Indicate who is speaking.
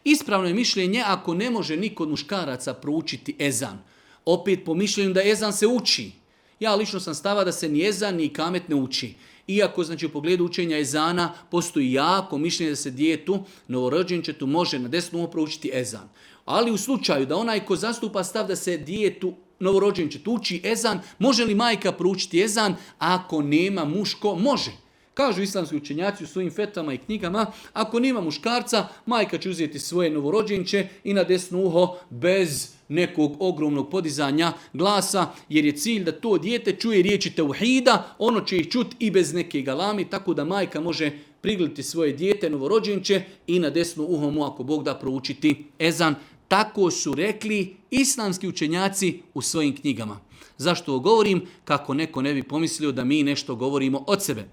Speaker 1: Ispravno je mišljenje ako ne može niko od muškaraca proučiti ezan. Opet po mišljenju da ezan se uči. Ja lično sam stava da se ni ezan ni ikamet ne uči. Iako znači u pogledu učenja ezana postoji jako mišljenje da se djetetu, novorođenčetu može na desno uho proučiti ezan. Ali u slučaju da onaj ko zastupa stav da se djetetu novorođenčetu uči ezan, može li majka proučiti ezan? Ako nema muško, može. Kažu islamski učenjaci u svojim fetvama i knjigama, ako nema muškarca, majka će uzeti svoje novorođenče i na desno uho bez nekog ogromnog podizanja glasa, jer je cilj da to dijete čuje riječi tauhida, ono će ih čuti i bez neke galami, tako da majka može prigledati svoje dijete novorođenče i na desno uho mu, ako Bog da, proučiti ezan. Tako su rekli islamski učenjaci u svojim knjigama. Zašto ovo govorim? Kako neko ne bi pomislio da mi nešto govorimo od sebe.